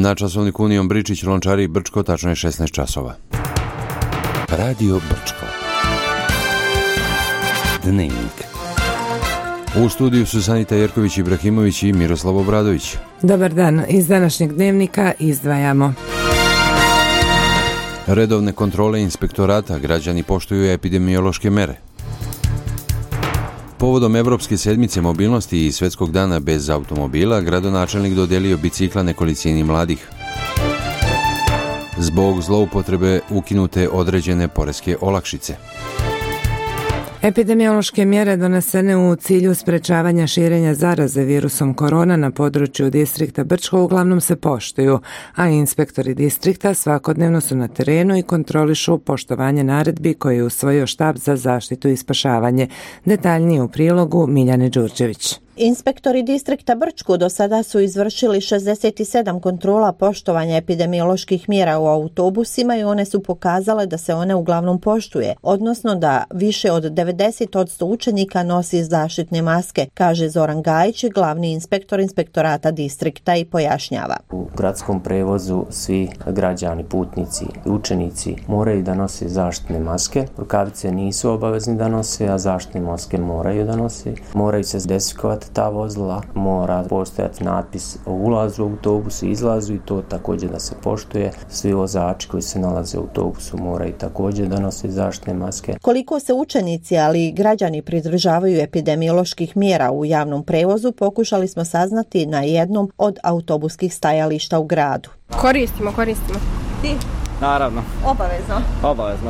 Na časovniku Union Bričić, Lončari, Brčko, tačno je 16 časova. Radio Brčko. Dnevnik. U studiju su Sanita Jerković, Ibrahimović i Miroslav Obradović. Dobar dan, iz današnjeg dnevnika izdvajamo. Redovne kontrole inspektorata, građani poštuju epidemiološke mere. Povodom Evropske sedmice mobilnosti i Svetskog dana bez automobila, gradonačelnik dodelio bicikla nekolicini mladih. Zbog zloupotrebe ukinute određene poreske olakšice. Epidemiološke mjere donesene u cilju sprečavanja širenja zaraze virusom korona na području distrikta Brčko uglavnom se poštuju, a inspektori distrikta svakodnevno su na terenu i kontrolišu poštovanje naredbi koje je usvojio štab za zaštitu i spašavanje. Detaljnije u prilogu Miljane Đurđević. Inspektori distrikta Brčko do sada su izvršili 67 kontrola poštovanja epidemioloških mjera u autobusima i one su pokazale da se one uglavnom poštuje, odnosno da više od 90% učenika nosi zaštitne maske, kaže Zoran Gajić, glavni inspektor inspektorata distrikta, i pojašnjava. U gradskom prevozu svi građani, putnici i učenici moraju da nose zaštitne maske. Rukavice nisu obavezni da nose, a zaštitne maske moraju da nose. Moraju se dezinfikovati ta vozila, mora postojati natpis o ulazu u autobusu i izlazu i to također da se poštuje. Svi vozači koji se nalaze u autobusu moraju također da nose zaštitne maske. Koliko se učenici, ali i građani pridržavaju epidemioloških mjera u javnom prevozu, pokušali smo saznati na jednom od autobuskih stajališta u gradu. Koristimo. Ti? Naravno. Obavezno?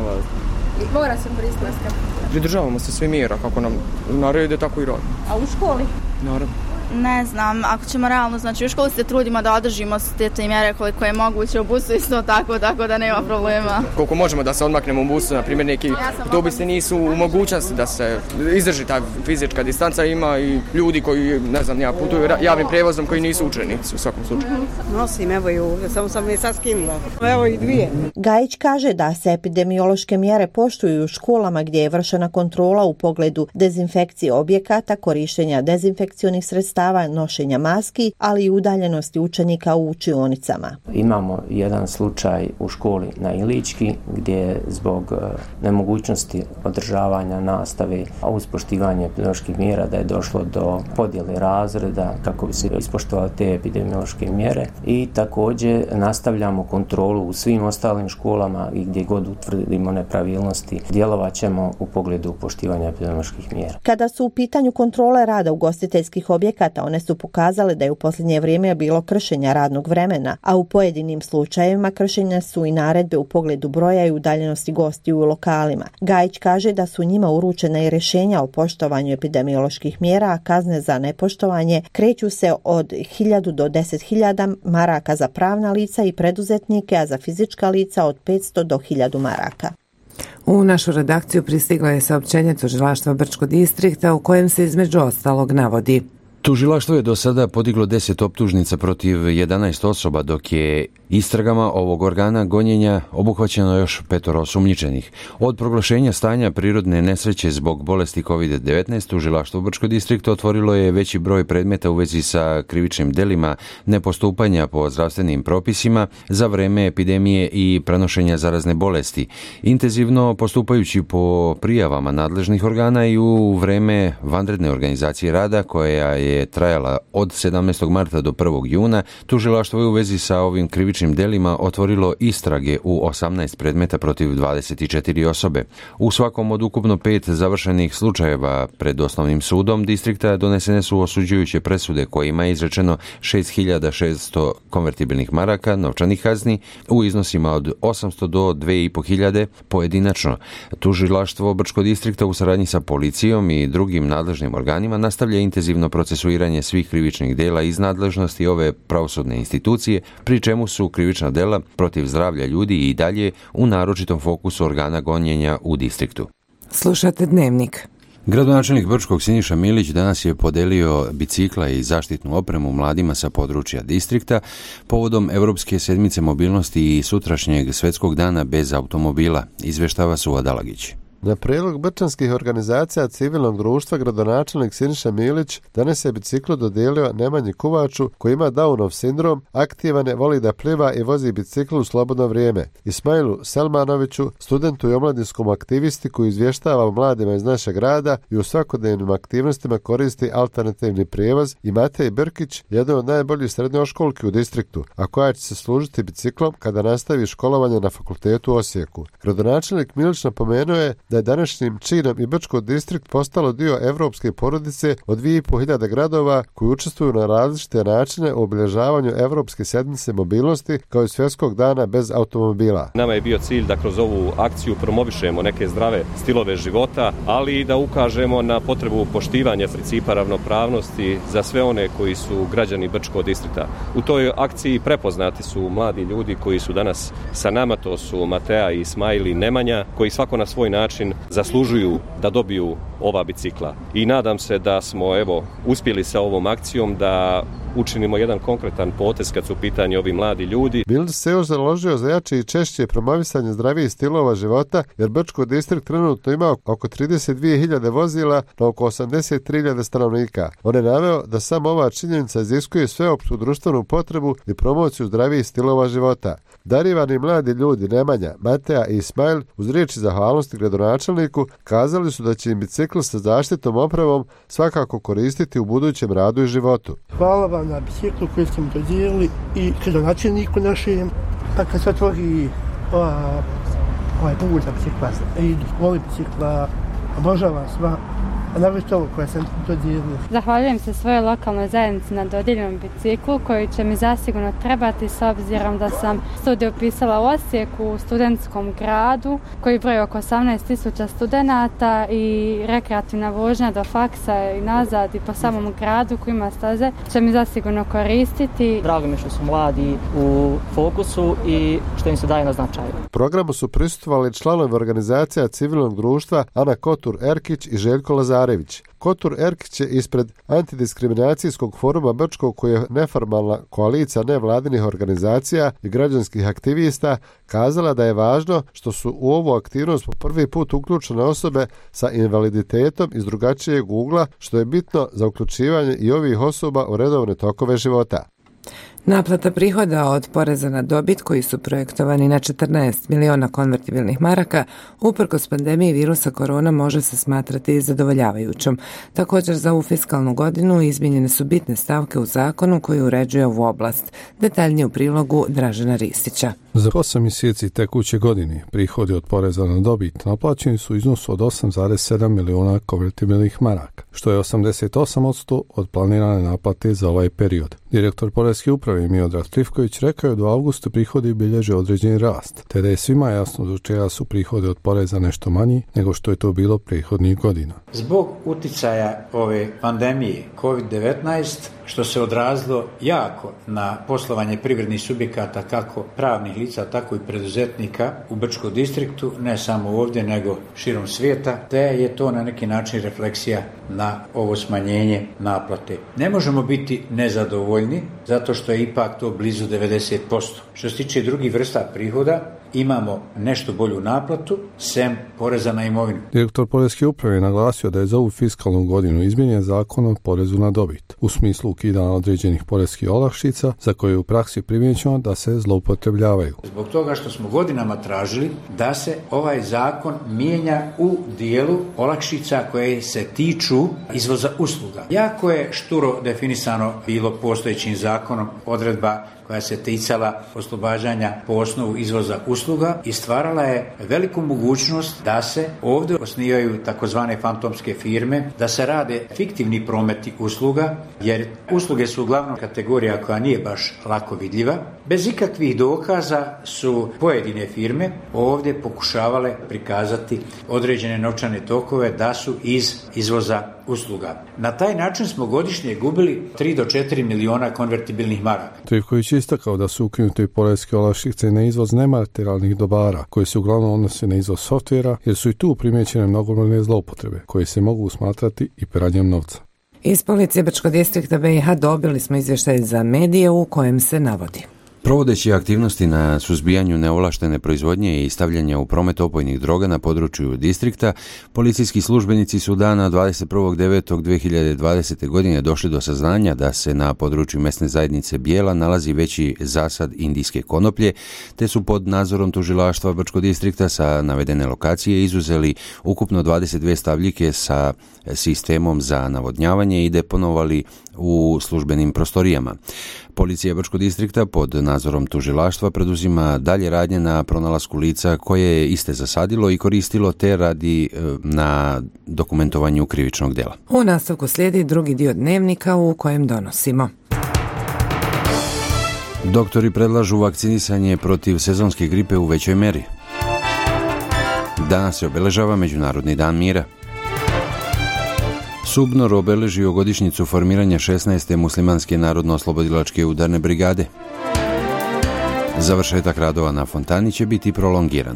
I mora se koristiti maske. Pridržavamo se sve mjera kako nam narede, tako i radimo. A u školi? Naravno. Ne znam, ako ćemo realno, znači u školi se trudimo da održimo te mjere koliko je moguće, u busu isto tako da nema problema. Koliko možemo da se odmaknemo u busu, na primjer neki autobusi nisu u mogućnosti da se izdrži ta fizička distanca, ima i ljudi koji, ne znam, putuju javnim prijevozom koji nisu učenici u svakom slučaju. Nosim, evo i ovdje, samo sam je sad skinula. Evo i dvije. Gajić kaže da se epidemiološke mjere poštuju u školama gdje je vršena kontrola u pogledu dezinfekcije objekata, korištenja dezinfekcionih sredstava, nošenja maski, ali i udaljenosti učenika u učionicama. Imamo jedan slučaj u školi na Ilički gdje zbog nemogućnosti održavanja nastave, a uz poštivanje epidemioloških mjera da je došlo do podjele razreda kako bi se ispoštovale te epidemiološke mjere, i također nastavljamo kontrolu u svim ostalim školama i gdje god utvrdimo nepravilnosti djelovat ćemo u pogledu poštivanja epidemioloških mjera. Kada su u pitanju kontrole rada ugostiteljskih objekata, one su pokazale da je u posljednje vrijeme bilo kršenja radnog vremena, a u pojedinim slučajevima kršenja su i naredbe u pogledu broja i udaljenosti gostiju u lokalima. Gajić kaže da su njima uručena i rješenja o poštovanju epidemioloških mjera, a kazne za nepoštovanje kreću se od 1000 do 10.000 maraka za pravna lica i preduzetnike, a za fizička lica od 500 do 1000 maraka. U našu redakciju pristiglo je saopćenje Tužilaštva Brčko distrikta u kojem se između ostalog navodi: Tužilaštvo je do sada podiglo 10 optužnica protiv 11 osoba, dok je istragama ovog organa gonjenja obuhvaćeno još 5 osumnjičenih. Od proglašenja stanja prirodne nesreće zbog bolesti COVID-19, Tužilaštvo Brčko distrikta otvorilo je veći broj predmeta u vezi sa krivičnim delima nepostupanja po zdravstvenim propisima za vreme epidemije i prenošenja zarazne bolesti, intenzivno postupajući po prijavama nadležnih organa i u vreme vanredne organizacije rada koja je trajala od 17. marta do 1. juna, tužilaštvo je u vezi sa ovim krivičnim delima otvorilo istrage u 18 predmeta protiv 24 osobe. U svakom od ukupno 5 završenih slučajeva pred osnovnim sudom distrikta donesene su osuđujuće presude kojima je izrečeno 6.600 konvertibilnih maraka novčanih kazni u iznosima od 800 do 2.500 pojedinačno. Tužilaštvo Brčko distrikta u saradnji sa policijom i drugim nadležnim organima nastavlja intenzivno procesuiranje svih krivičnih dela iz nadležnosti ove pravosudne institucije, pri čemu su krivična dela protiv zdravlja ljudi i dalje u naročitom fokusu organa gonjenja u distriktu. Slušate Dnevnik. Gradonačelnik Brčkog Siniša Milić danas je podelio bicikla i zaštitnu opremu mladima sa područja distrikta povodom Evropske sedmice mobilnosti i sutrašnjeg Svetskog dana bez automobila, izveštava Suva Dalagić. Na prijedlog brčanskih organizacija civilnog društva gradonačelnik Siniša Milić danas je biciklo dodijelio Nemanji Kuvaču koji ima Downov sindrom, aktivan je, voli da pliva i vozi bicikl u slobodno vrijeme. Ismailu Selmanoviću, studentu i omladinskom aktivisti koji izvještava o mladima iz našeg grada i u svakodnevnim aktivnostima koristi alternativni prijevoz, i Matej Brkić, jedan od najboljih srednjoškolki u distriktu, a koja će se služiti biciklom kada nastavi školovanje na fakultetu u Osijeku. Gradonačelnik Milić napomenuo je da je današnjim činom i Brčko distrikt postalo dio evropske porodice od 2500 gradova koji učestvuju na različite načine u obilježavanju Evropske sedmice mobilnosti kao i Svjetskog dana bez automobila. Nama je bio cilj da kroz ovu akciju promovišemo neke zdrave stilove života, ali i da ukažemo na potrebu poštivanja principa ravnopravnosti za sve one koji su građani Brčkog distrikta. U toj akciji prepoznati su mladi ljudi koji su danas sa nama, to su Mateja i Ismail i Nemanja, koji svako na svoj način zaslužuju da dobiju ova bicikla. I nadam se da smo uspjeli sa ovom akcijom da učinimo jedan konkretan potez kad su u pitanju ovi mladi ljudi. Milić se još založio za jače i češće promovisanje zdravijih stilova života, jer Brčko distrikt trenutno ima oko 32.000 vozila na oko 83.000 stanovnika. On je naveo da samo ova činjenica iziskuje sveopštu društvenu potrebu i promociju zdravijih stilova života. Darivani mladi ljudi Nemanja, Mateja i Ismail uz riječi zahvalnosti gradonačelniku kazali su da će im bicikl sa zaštitnom opravom svakako koristiti u budućem radu i životu. Hvala vam na biciklu koji ste mi dodijelili i gradonačelniku našem, pa kad se otvori ovaj put za bicikla i voli bicikla, obožavam sva, a navrši ovo koje sam dodijelio. Zahvaljujem se svojoj lokalnoj zajednici na dodijeljenom biciklu koji će mi zasigurno trebati s obzirom da sam studij upisala u Osijeku u studentskom gradu koji broji oko 18.000 studenata i rekreativna vožnja do faksa i nazad i po samom gradu koji ima staze će mi zasigurno koristiti. Drago mi što su mladi u fokusu i što im se daje na značaju. Programu su prisustvovali članovi organizacija civilnog društva Ana Kotur-Erkić i Željko Lazarević. Kotur Erkić je ispred Antidiskriminacijskog foruma Brčkog, koji je neformalna koalicija nevladinih organizacija i građanskih aktivista, kazala da je važno što su u ovu aktivnost po prvi put uključene osobe sa invaliditetom iz drugačijeg ugla, što je bitno za uključivanje i ovih osoba u redovne tokove života. Naplata prihoda od poreza na dobit koji su projektovani na 14 miliona konvertibilnih maraka uprkos pandemiji virusa korona može se smatrati zadovoljavajućom. Također za ovu fiskalnu godinu izmijenjene su bitne stavke u zakonu koji uređuje ovu oblast. Detaljnije u prilogu Dražena Ristića. Za 8 mjeseci tekuće godine prihodi od poreza na dobit naplaćeni su u iznosu od 8,7 miliona konvertibilnih maraka, što je 88% od planirane naplate za ovaj period. Direktor Poreske uprave Miodrag Trifković rekao je da u avgustu prihodi bilježe određeni rast, te da je svima jasno zbog čega su prihodi od poreza nešto manji nego što je to bilo prethodnih godina. Zbog uticaja ove pandemije COVID-19, što se odrazilo jako na poslovanje privrednih subjekata, kako pravnih lica, tako i preduzetnika u Brčkom distriktu, ne samo ovdje, nego širom svijeta, te je to na neki način refleksija na ovo smanjenje naplate. Ne možemo biti nezadovoljni, zato što je ipak to blizu 90%. Što se tiče drugih vrsta prihoda, imamo nešto bolju naplatu, sem poreza na imovinu. Direktor Poreske uprave je naglasio da je za ovu fiskalnu godinu izmijenjen zakon o porezu na dobit, u smislu ukidanja određenih poreskih olakšica za koje je u praksi primijećeno da se zloupotrebljavaju. Zbog toga što smo godinama tražili da se ovaj zakon mijenja u dijelu olakšica koje se tiču izvoza usluga. Jako je šturo definisano bilo postojećim zakonom odredba koja se ticala oslobađanja po osnovu izvoza usluga i stvarala je veliku mogućnost da se ovdje osnivaju takozvane fantomske firme, da se rade fiktivni prometi usluga, jer usluge su uglavnom kategorija koja nije baš lako vidljiva. Bez ikakvih dokaza su pojedine firme ovdje pokušavale prikazati određene novčane tokove da su iz izvoza usluga. Na taj način smo godišnje gubili 3 do 4 miliona konvertibilnih maraka. Trifković je istakao da su ukinute poreske olakšice na izvoz nematerijalnih dobara, koji se uglavnom odnose na izvoz softvera, jer su i tu primijećene mnogobrojne zloupotrebe, koje se mogu smatrati i pranjem novca. Iz policije Brčkog distrikta BiH dobili smo izvještaj za medije u kojem se navodi. Provodeći aktivnosti na suzbijanju neovlaštene proizvodnje i stavljanja u promet opojnih droga na području distrikta, policijski službenici su dana 21.9.2020. godine došli do saznanja da se na području mesne zajednice Bijela nalazi veći zasad indijske konoplje, te su pod nadzorom tužilaštva Brčkog distrikta sa navedene lokacije izuzeli ukupno 22 stabljike sa sistemom za navodnjavanje i deponovali u službenim prostorijama. Policija Brčkog distrikta pod nadzorom tužilaštva preduzima dalje radnje na pronalasku lica koje je iste zasadilo i koristilo te radi na dokumentovanju krivičnog djela. U nastavku slijedi drugi dio dnevnika u kojem donosimo. Doktori predlažu vakcinisanje protiv sezonske gripe u većoj meri. Danas se obeležava Međunarodni dan mira. Subnor obeležio godišnjicu formiranja 16. muslimanske narodno-oslobodilačke udarne brigade. Završetak radova na fontani će biti prolongiran.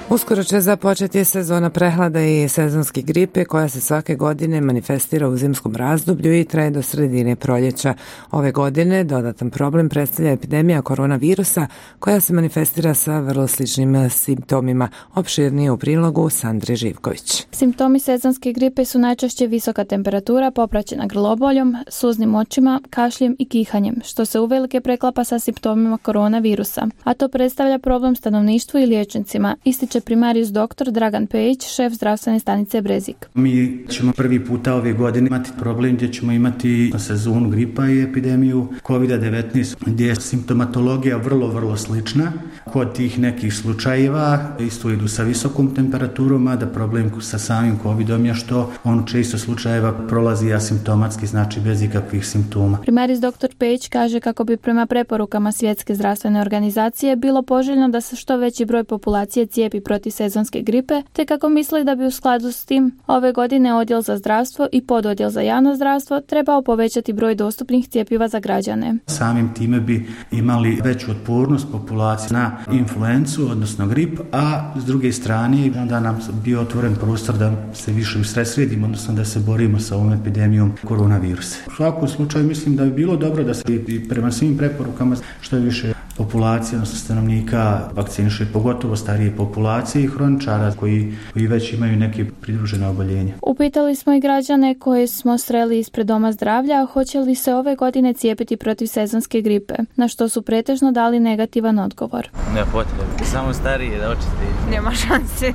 Uskoro će započeti sezona prehlada i sezonske gripe koja se svake godine manifestira u zimskom razdoblju i traje do sredine proljeća. Ove godine dodatan problem predstavlja epidemija koronavirusa koja se manifestira sa vrlo sličnim simptomima. Opširnije u prilogu Sandre Živković. Simptomi sezonske gripe su najčešće visoka temperatura popraćena grloboljom, suznim očima, kašljem i kihanjem, što se uvelike preklapa sa simptomima koronavirusa, a to predstavlja problem stanovništvu i liječnicima, ističe primarijus dr. Dragan Pejić, šef zdravstvene stanice Brezik. Mi ćemo prvi puta ove godine imati problem gdje ćemo imati sezonu gripa i epidemiju COVID-19 gdje je simptomatologija vrlo slična. Kod tih nekih slučajeva isto idu sa visokom temperaturom, a da problem sa samim COVIDom je što on u često slučajeva prolazi asimptomatski, znači bez ikakvih simptoma. Primarijus dr. Pejić kaže kako bi prema preporukama Svjetske zdravstvene organizacije bilo poželjno da se što veći broj populacije cijepi protiv sezonske gripe, te kako misli da bi u skladu s tim ove godine odjel za zdravstvo i pododjel za javno zdravstvo trebao povećati broj dostupnih cjepiva za građane. Samim time bi imali veću otpornost populacije na influencu, odnosno grip, a s druge strane onda nam bio otvoren prostor da se više usredsredimo, odnosno da se borimo sa ovom epidemijom koronavirusa. U svakom slučaju mislim da bi bilo dobro da se i prema svim preporukama što je više populacije, odnosno stanovnika vakciniše, pogotovo starije populacije i hroničara koji već imaju neke pridružene oboljenja. Upitali smo i građane koje smo sreli ispred Doma zdravlja hoće li se ove godine cijepiti protiv sezonske gripe, na što su pretežno dali negativan odgovor. Ne potrebe, samo starije da očiste. Nema šanse,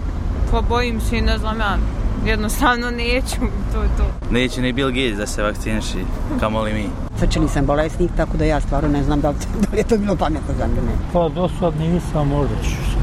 pobojim se i ne znam ja. Jednostavno neću, to je to. Neće ni Bill Gates da se vakciniši, kamoli mi. Srčani sam bolesnik, tako da ja stvarno ne znam da li je to bilo pametno za mene. Pa do sad nisam, možda ću se.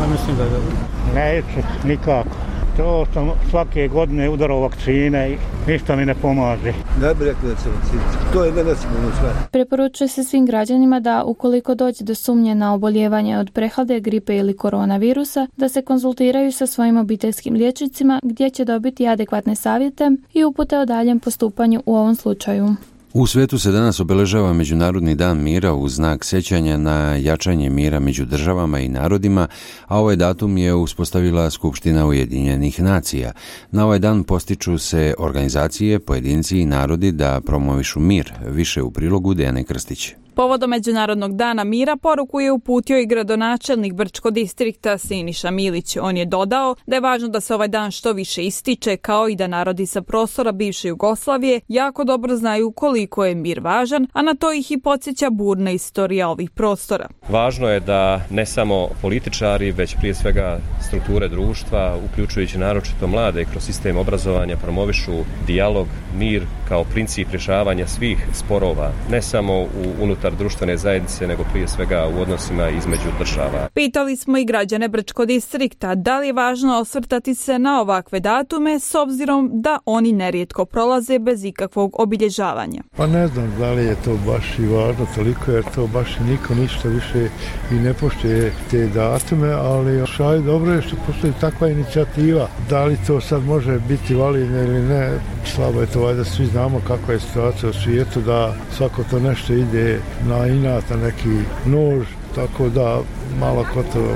Ja mislim da je dobro. Neću, nikako. To sam svake godine udarao vakcine i ništa mi ne pomaže. Ne bih rekao da se vakciniši. To je nesigurno sve. Preporučuje se svim građanima da ukoliko dođe do sumnje na oboljevanje od prehlade, gripe ili koronavirusa, da se konzultiraju sa svojim obiteljskim liječnicima gdje će dobiti adekvatne savjete i upute o daljem postupanju u ovom slučaju. U svijetu se danas obeležava Međunarodni dan mira u znak sjećanja na jačanje mira među državama i narodima, a ovaj datum je uspostavila Skupština Ujedinjenih nacija. Na ovaj dan postiču se organizacije, pojedinci i narodi da promovišu mir, više u prilogu Dejane Krstić. Povodom Međunarodnog dana mira poruku je uputio i gradonačelnik Brčkog distrikta Siniša Milić. On je dodao da je važno da se ovaj dan što više ističe, kao i da narodi sa prostora bivše Jugoslavije jako dobro znaju koliko je mir važan, a na to ih i podsjeća burna istorija ovih prostora. Važno je da ne samo političari, već prije svega strukture društva, uključujući naročito mlade kroz sistem obrazovanja, promovišu dijalog, mir kao princip rješavanja svih sporova, ne samo unutar društvene zajednice, nego prije svega u odnosima između država. Pitali smo i građane Brčkog distrikta da li je važno osvrtati se na ovakve datume s obzirom da oni nerijetko prolaze bez ikakvog obilježavanja. Pa ne znam da li je to baš i važno toliko, jer to baš niko ništa više i ne poštuje te datume, ali šaj dobro je što postoji takva inicijativa. Da li to sad može biti validno ili ne, slabo je to, valjda svi znamo kakva je situacija u svijetu, da svako to nešto ide na inat, na neki nož, tako da malo ko to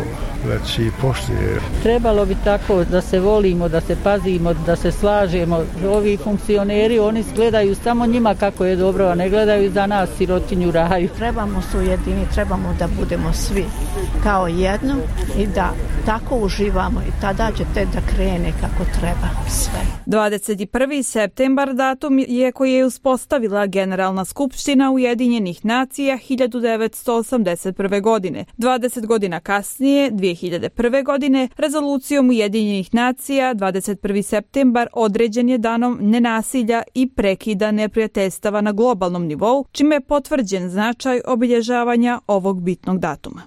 već i poštuje. Trebalo bi tako da se volimo, da se pazimo, da se slažemo. Ovi funkcioneri, oni gledaju samo njima kako je dobro, a ne gledaju za nas sirotinju raju. Trebamo se ujediniti, trebamo da budemo svi kao jedno i da tako uživamo i tada će te da krene kako treba sve. 21. septembar datum je koji je uspostavila Generalna skupština Ujedinjenih nacija 1981. godine. 20 godina kasnije, 2001. godine, rezolucijom Ujedinjenih nacija 21. septembar određen je danom nenasilja i prekida neprijateljstava na globalnom nivou, čime je potvrđen značaj obilježavanja ovog bitnog datuma.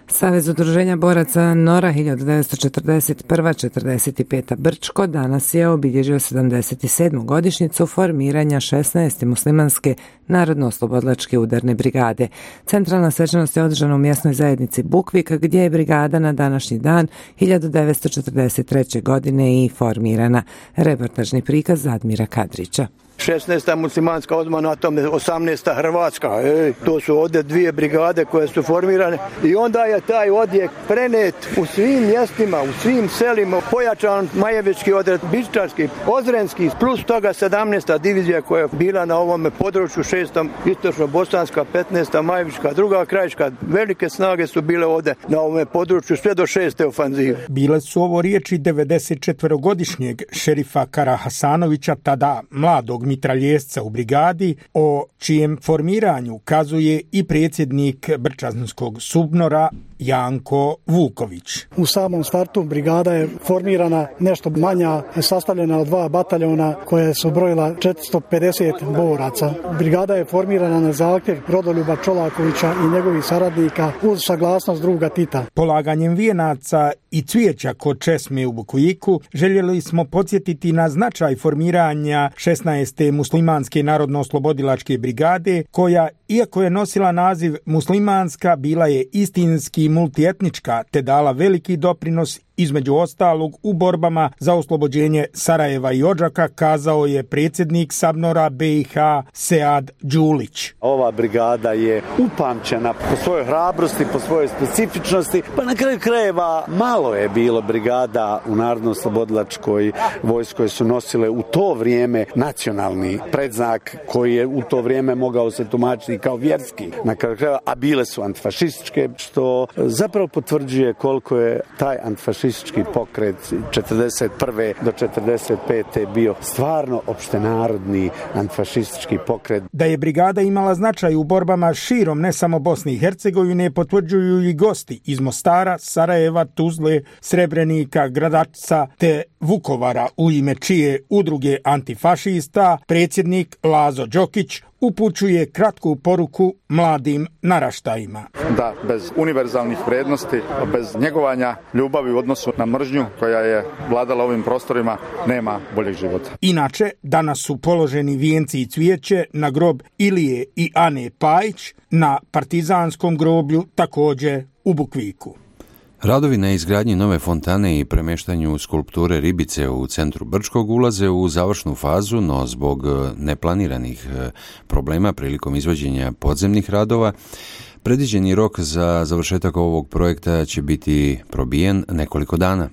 Savez udruženja boraca Nora 1941-45 Brčko danas je obilježio 77. godišnjicu formiranja 16. muslimanske narodno-oslobodilačke udarne brigade. Centralna svečanost je održana u mjesnoj zajednici Bukvik, gdje je brigada na današnji dan 1943. godine i formirana. Reportažni prikaz Admira Kadrića. 16. muslimanska, odmah na tome 18. Hrvatska. To su ovdje dvije brigade koje su formirane i onda je taj odjek prenet u svim mjestima, u svim selima, pojačan Majevički odred, Biščarski, Ozrenski, plus toga 17. divizija koja je bila na ovome području, 6. istočno-bosanska, 15. Majevička, 2. krajiška. Velike snage su bile ovdje na ovome području sve do 6. ofanzive. Bile su ovo riječi 94-godišnjeg šerifa Karahasanovića, tada mladog mitraljesca u brigadi, o čijem formiranju kazuje i predsjednik Brčanskog SUBNOR-a Janko Vuković. U samom startu brigada je formirana nešto manja, sastavljena od 2 bataljona koje su brojila 450 boraca. Brigada je formirana na zahtjev Rodoljuba Čolakovića i njegovih saradnika uz saglasnost druga Tita. Polaganjem vijenaca i cvijeća kod česme u Bukujiku željeli smo podsjetiti na značaj formiranja 16. muslimanske narodno-oslobodilačke brigade, koja, iako je nosila naziv muslimanska, bila je istinski multietnička te dala veliki doprinos između ostalog u borbama za oslobođenje Sarajeva i Odžaka, kazao je predsjednik SABNOR-a BiH Sead Đulić. Ova brigada je upamćena po svojoj hrabrosti, po svojoj specifičnosti, pa na kraju krajeva malo je bilo brigada u Narodno-oslobodilačkoj vojsci koje su nosile u to vrijeme nacionalni predznak koji je u to vrijeme mogao se tumačiti kao vjerski, na kraju krajeva, a bile su antifašističke, što zapravo potvrđuje koliko je taj antifašistički pokret 41. do 45. bio stvarno opštenarodni antifašistički pokret. Da je brigada imala značaj u borbama širom ne samo Bosne i Hercegovine potvrđuju i gosti iz Mostara, Sarajeva, Tuzle, Srebrenika, Gradačca te Vukovara, u ime čije udruge antifašista predsjednik Lazo Đokić upućuje kratku poruku mladim naraštajima. Da, bez univerzalnih vrijednosti, bez njegovanja ljubavi u odnosu na mržnju koja je vladala ovim prostorima, nema boljeg života. Inače, danas su položeni vijenci i cvijeće na grob Ilije i Ane Pajić na partizanskom groblju također u Bukviku. Radovi na izgradnji nove fontane i premještanju skulpture ribice u centru Brčkog ulaze u završnu fazu, no zbog neplaniranih problema prilikom izvođenja podzemnih radova, predviđeni rok za završetak ovog projekta će biti probijen nekoliko dana.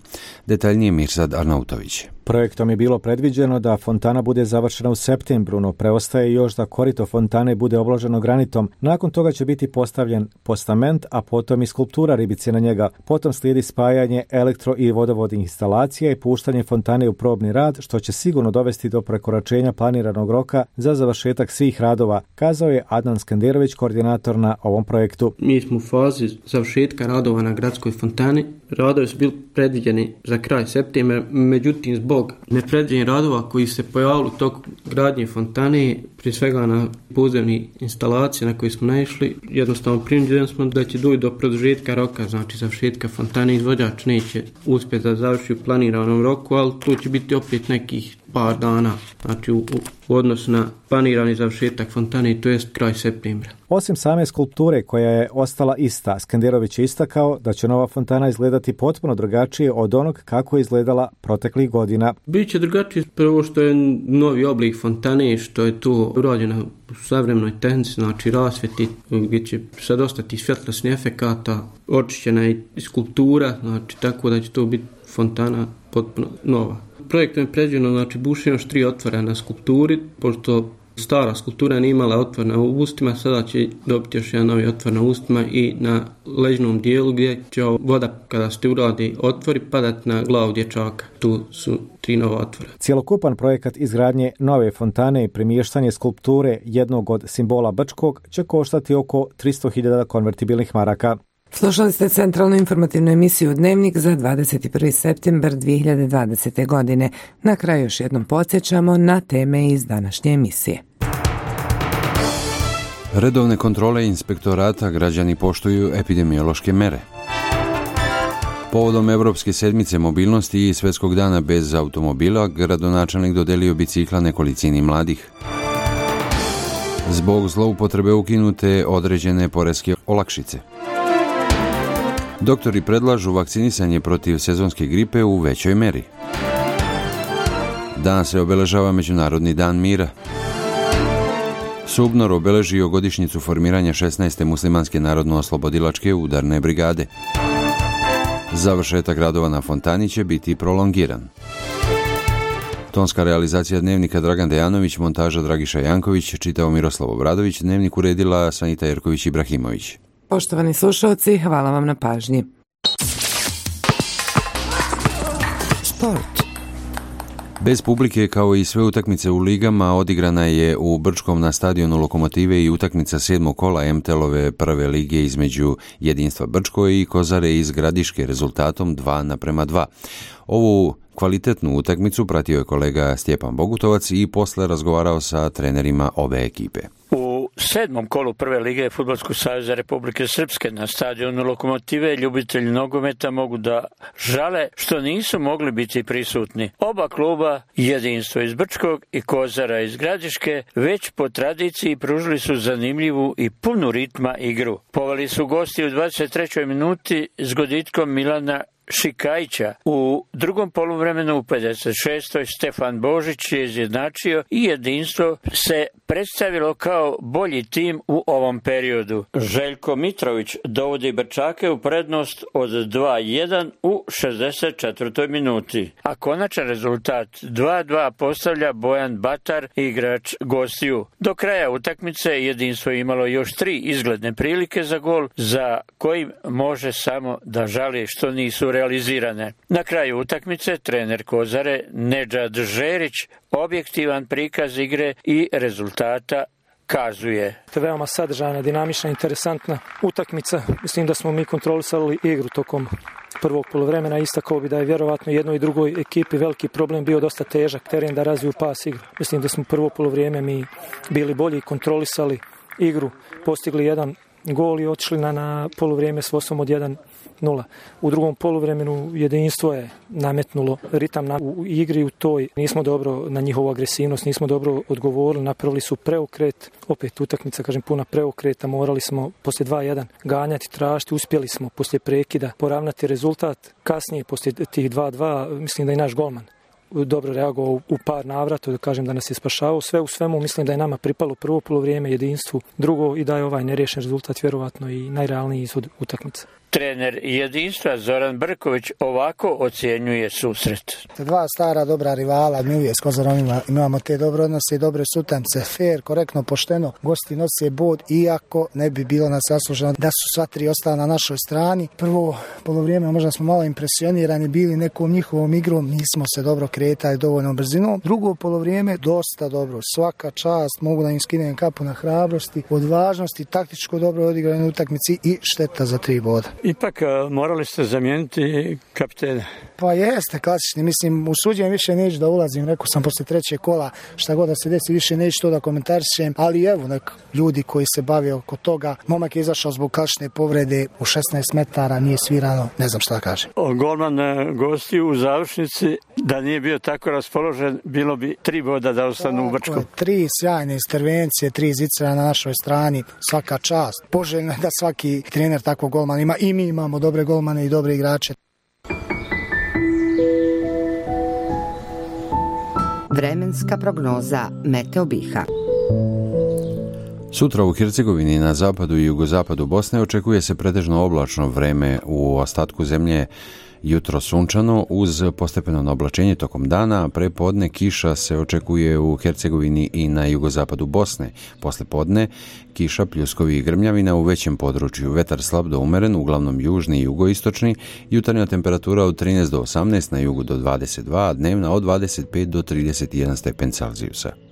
Detaljnije Mirsad Arnautović. Projektom je bilo predviđeno da fontana bude završena u septembru, no preostaje još da korito fontane bude obloženo granitom. Nakon toga će biti postavljen postament, a potom i skulptura ribice na njega. Potom slijedi spajanje elektro- i vodovodnih instalacija i puštanje fontane u probni rad, što će sigurno dovesti do prekoračenja planiranog roka za završetak svih radova, kazao je Adnan Skenderović, koordinator na ovom projektu. Mi smo u fazi završetka radova na gradskoj fontani. Radovi su bili predviđeni za kraj septembra, međutim zbog nepredviđenih radova koji se pojavili u toku gradnje fontane, prije svega na podzemni instalacije na koje smo naišli, jednostavno primljeni smo da će doći do produžetka roka, znači završetka fontane. Izvođač neće uspjeti da završi u planiranom roku, ali to će biti opet nekih par dana, znači u odnosu na planirani završetak fontane, to jest kraj septembra. Osim same skulpture koja je ostala ista, Skenderović je istakao da će nova fontana izgledati potpuno drugačije od onog kako je izgledala proteklih godina. Biće drugačije prvo što je novi oblik fontane, što je to ovo urađeno u savremenoj tehnici, znači rasvjeti, gdje će sad ostati svjetlosni efekata, očišćena je i skulptura, znači tako da će to biti fontana potpuno nova. Projektom je predviđeno, znači bušeno još 3 otvora na skulpturi, pošto stara skulptura nije imala otvor na ustima, sada će dobiti još jedan novi otvor na ustima i na leđnom dijelu gdje će voda kada se uradi otvori padati na glavu dječaka. Tu su 3 nova otvora. Cjelokupan projekat izgradnje nove fontane i premještanje skulpture jednog od simbola Brčkog će koštati oko 300.000 konvertibilnih maraka. Slušali ste centralnu informativnu emisiju Dnevnik za 21. septembar 2020. godine. Na kraju još jednom podsjećamo na teme iz današnje emisije. Redovne kontrole inspektorata građani poštuju epidemiološke mere. Povodom Evropske sedmice mobilnosti i Svjetskog dana bez automobila, gradonačelnik dodelio bicikla nekolicini mladih. Zbog zloupotrebe ukinute određene poreske olakšice. Doktori predlažu vakcinisanje protiv sezonske gripe u većoj meri. Danas se obeležava Međunarodni dan mira. Subnor obeležio godišnjicu formiranja 16. muslimanske narodno-oslobodilačke udarne brigade. Završetak radova na fontani će biti prolongiran. Tonska realizacija Dnevnika Dragan Dejanović, montaža Dragiša Janković, čitao Miroslav Obradović, Dnevnik uredila Sanita Jerković-Ibrahimović. Poštovani slušalci, hvala vam na pažnji. Sport. Bez publike, kao i sve utakmice u ligama, odigrana je u Brčkom na stadionu Lokomotive i utakmica 7. kola MTL-ove prve lige između Jedinstva Brčko i Kozare iz Gradiške rezultatom 2:2. Ovu kvalitetnu utakmicu pratio je kolega Stjepan Bogutovac i posle razgovarao sa trenerima obe ekipe. U 7. kolu prve lige Fudbalskog saveza Republike Srpske na stadionu Lokomotive ljubitelji nogometa mogu da žale što nisu mogli biti prisutni. Oba kluba, Jedinstvo iz Brčkog i Kozara iz Gradiške, već po tradiciji pružili su zanimljivu i punu ritma igru. Poveli su gosti u 23. minuti s goditkom Milana Šikajića. U drugom poluvremenu u 56. Stefan Božić je izjednačio i Jedinstvo se predstavilo kao bolji tim u ovom periodu. Željko Mitrović dovodi Brčake u prednost od 2:1 u 64. minuti. A konačan rezultat 2:2 postavlja Bojan Batar, igrač gostiju. Do kraja utakmice Jedinstvo je imalo još 3 izgledne prilike za gol, za kojim može samo da žali što nisu realizirane. Na kraju utakmice trener Kozare Nedžad Žerić objektivan prikaz igre i rezultata kazuje. To je veoma sadržajna, dinamična, interesantna utakmica. Mislim da smo mi kontrolisali igru tokom prvog poluvremena. Istakao bi da je vjerovatno jednoj i drugoj ekipi veliki problem bio dosta težak teren da razviju pas igru. Mislim da smo prvo poluvrijeme mi bili bolji, kontrolisali igru, postigli jedan gol i otišli na poluvrijeme s vodstvom od 1:0. U drugom poluvremenu Jedinstvo je nametnulo ritam u igri u toj. Nismo dobro na njihovu agresivnost, nismo dobro odgovorili, napravili su preokret. Opet utakmica, puna preokreta, morali smo poslije 2:1 ganjati, tražiti, uspjeli smo poslije prekida poravnati rezultat. Kasnije, poslije tih 2:2, mislim da i naš golman dobro reagovao u par navrata, da nas je spašavao. Sve u svemu mislim da je nama pripalo prvo poluvrijeme, Jedinstvu drugo i da je ovaj neriješen rezultat vjerovatno i najrealniji ishod utakmice. Trener Jedinstva Zoran Brković ovako ocjenjuje susret. Dva stara dobra rivala, mi uvijek s Kozarom imamo te dobre odnose i dobre sutamce, fair, korektno, pošteno, gosti nose bod, iako ne bi bilo nas zasluženo da su sva tri ostala na našoj strani. Prvo polovrijeme možda smo malo impresionirani bili nekom njihovom igrom, nismo se dobro kretali dovoljno brzinom. Drugo polovrijeme dosta dobro, svaka čast, mogu da im skinem kapu na hrabrosti, odvažnosti, taktičko dobro odigrane utakmici i šteta za 3 boda. Ipak morali ste zamijeniti kapitena. Pa jeste, klasični. Mislim, usuđujem više neću da ulazim. Rekao sam poslije 3. kola šta god da se desi, više neću to da komentarišem. Ali evo, ljudi koji se bave oko toga. Momak je izašao zbog klasične povrede u 16 metara, nije svirano, ne znam šta da kažem. Golman gosti u završnici, da nije bio tako raspoložen, bilo bi 3 boda da ostanu u Brčkom. 3 sjajne intervencije, 3 zicera na našoj strani, svaka čast. Poželjno je da svaki trener takvog golmana ima i mi imamo dobre golmane i dobre igrače. Vremenska prognoza Meteo Biha. Sutra u Hercegovini na zapadu i jugozapadu Bosne očekuje se pretežno oblačno vreme, u ostatku zemlje jutro sunčano uz postepeno oblačenje tokom dana, a prepodne kiša se očekuje u Hercegovini i na jugozapadu Bosne. Posle podne kiša, pljuskovi i grmljavina u većem području, vetar slab do umeren, uglavnom južni i jugoistočni, jutarnja temperatura od 13 do 18, na jugu do 22, a dnevna od 25 do 31 stepen Celzijusa.